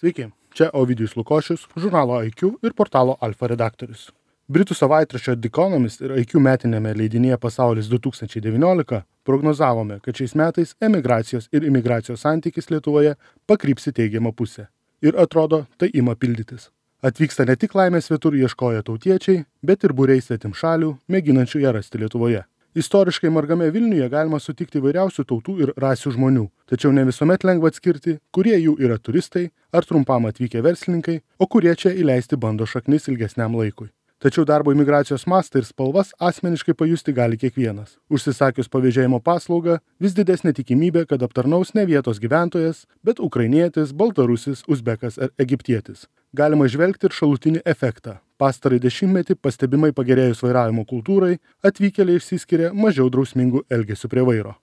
Sveiki, čia Ovidijus Lukošius, žurnalo IQ ir portalo Alfa redaktorius. Britų savaitraščio The Economist ir IQ metinėme leidinyje Pasaulis 2019 prognozavome, kad šiais metais emigracijos ir imigracijos santykis Lietuvoje pakryps į teigiamą pusę. Ir atrodo, tai ima pildytis. Atvyksta ne tik laimės svetur ieškoję tautiečiai, bet ir būriai svetimšalių, mėginančių ją rasti Lietuvoje. Istoriškai margame Vilniuje galima sutikti įvairiausių tautų ir rasių žmonių, tačiau ne visuomet lengva atskirti, kurie jų yra turistai ar trumpam atvykę verslininkai, o kurie čia įleisti bando šaknis ilgesniam laikui. Tačiau darbo imigracijos mastą ir spalvas asmeniškai pajusti gali kiekvienas. Užsisakius pavėžėjimo paslaugą, vis didesnė tikimybė, kad aptarnaus ne vietos gyventojas, bet ukrainietis, baltarusis, uzbekas ar egiptietis. Galima žvelgti ir šalutinį efektą. Pastarąjį dešimtmetį pastebimai pagerėjus vairavimo kultūrai, atvykėliai išsiskiria mažiau drausmingų elgesių prie vairo.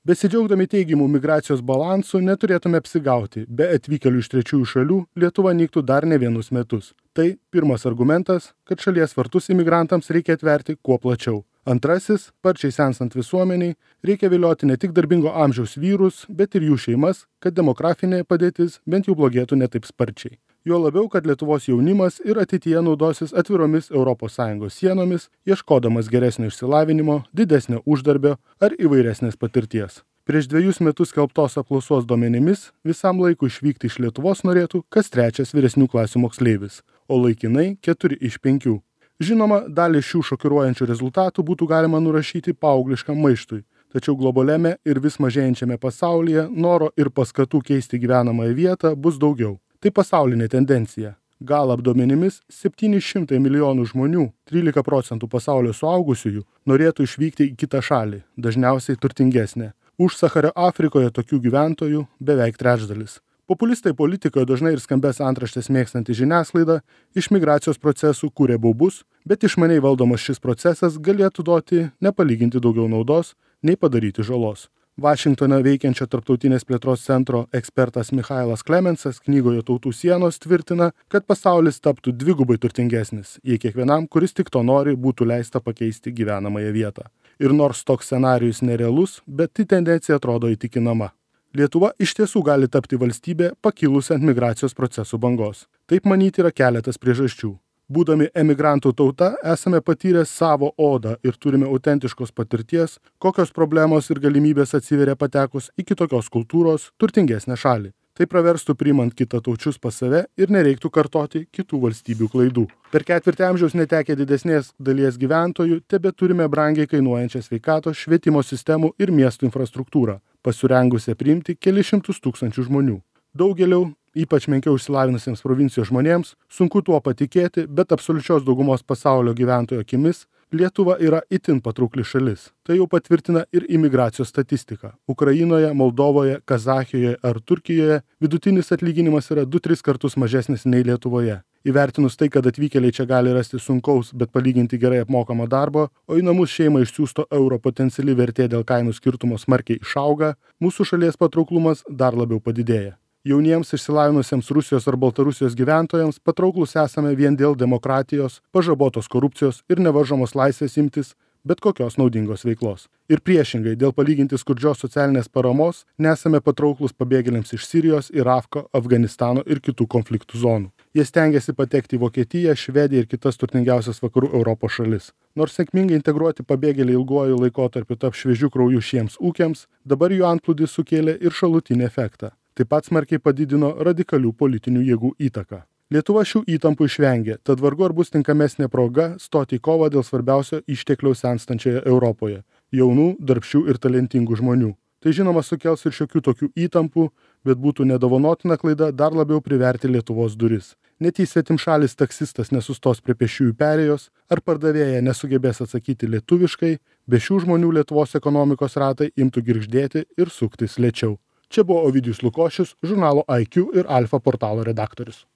Besidžiaugdami teigiamų migracijos balansų neturėtume apsigauti, be atvykėlių iš trečiųjų šalių Lietuva nyktų dar ne vienus metus. Tai pirmas argumentas, kad šalies vartus imigrantams reikia atverti kuo plačiau. Antrasis, sparčiai senstant visuomeniai, reikia vilioti ne tik darbingo amžiaus vyrus, bet ir jų šeimas, kad demografinė padėtis bent jau blogėtų ne taip sparčiai. Juo labiau, kad Lietuvos jaunimas ir ateityje naudosis atviromis ES sienomis, ieškodamas geresnio išsilavinimo, didesnio uždarbio ar įvairesnės patirties. Prieš 2 metus skelbtos apklausos duomenimis visam laikui išvykti iš Lietuvos norėtų kas trečias vyresnių klasių moksleivis, o laikinai 4 iš 5. Žinoma, dalį šių šokiruojančių rezultatų būtų galima nurašyti paaugliškam maištui, tačiau globaliame ir vis mažėjančiame pasaulyje noro ir paskatų keisti gyvenamąją vietą bus daugiau. Tai pasaulinė tendencija. Galap duomenimis 700 milijonų žmonių, 13% pasaulio suaugusiųjų, norėtų išvykti į kitą šalį, dažniausiai turtingesnę. Už Sahario Afrikoje tokių gyventojų beveik trečdalis. Populistai politikoje dažnai ir skambės antraštės mėgstanti žiniasklaida iš migracijos procesų kūrė baubus, bet išmaniai valdomas šis procesas galėtų duoti nepalyginti daugiau naudos, nei padaryti žalos. Vašingtone veikiančio Tarptautinės plėtros centro ekspertas Michailas Klemensas knygoje Tautų sienos tvirtina, kad pasaulis taptų dvigubai turtingesnis, jei kiekvienam, kuris tik to nori, būtų leista pakeisti gyvenamąją vietą. Ir nors toks scenarijus nerealus, bet tai tendencija atrodo įtikinama. Lietuva iš tiesų gali tapti valstybė pakilusi ant migracijos procesų bangos. Taip manyti yra keletas priežasčių. Būdami emigrantų tauta, esame patyrę savo odą ir turime autentiškos patirties, kokios problemos ir galimybės atsiveria patekus į kitokios kultūros, turtingesnę šalį. Tai praverstų priimant kitataučius pas save ir nereiktų kartoti kitų valstybių klaidų. Per ketvirtį amžiaus netekę didesnės dalies gyventojų, tebe turime brangiai kainuojančią sveikatos, švietimo sistemų ir miestų infrastruktūrą, pasirengusią priimti kelis šimtus tūkstančių žmonių. Daugeliau, ypač menkiau išsilavinusiems provincijos žmonėms, sunku tuo patikėti, bet absoliučios daugumos pasaulio gyventojų akimis Lietuva yra itin patraukli šalis. Tai jau patvirtina ir imigracijos statistika. Ukrainoje, Moldovoje, Kazachijoje ar Turkijoje vidutinis atlyginimas yra 2-3 kartus mažesnis nei Lietuvoje. Įvertinus tai, kad atvykėliai čia gali rasti sunkaus, bet palyginti gerai apmokamą darbą, o į namus šeimą išsiųsto euro potenciali vertė dėl kainų skirtumo smarkiai išauga, mūsų šalies patrauklumas dar labiau padidėja. Jauniems išsilavinusiems Rusijos ar Baltarusijos gyventojams patrauklus esame vien dėl demokratijos, pažabotos korupcijos ir nevaržomos laisvės imtis bet kokios naudingos veiklos. Ir priešingai, dėl palyginti skurdžios socialinės paramos nesame patrauklus pabėgėliams iš Sirijos, Irako, Afganistano ir kitų konfliktų zonų. Jie stengiasi patekti į Vokietiją, Švediją ir kitas turtingiausias vakarų Europos šalis. Nors sėkmingai integruoti pabėgėliai ilguoju laikotarpiu taps šviežių kraujų šiems ūkiams, dabar jų antplūdis sukėlė ir šalutinį efektą. Taip pat smarkiai padidino radikalių politinių jėgų įtaką. Lietuva šių įtampų išvengė, tad vargu ar bus tinkamesnė proga stoti į kovą dėl svarbiausio ištekliaus senstančioje Europoje – jaunų, darbščių ir talentingų žmonių. Tai žinoma sukels ir šiokių tokių įtampų, bet būtų nedovanotina klaida dar labiau priverti Lietuvos duris. Net jei svetimšalis taksistas nesustos prie pėsčiųjų perėjos, ar pardavėja nesugebės atsakyti lietuviškai, be šių žmonių Lietuvos ekonomikos ratai imtų girgždėti ir suktis lėčiau. Čia buvo Ovidijus Lukošius, žurnalo IQ ir Alfa portalo redaktorius.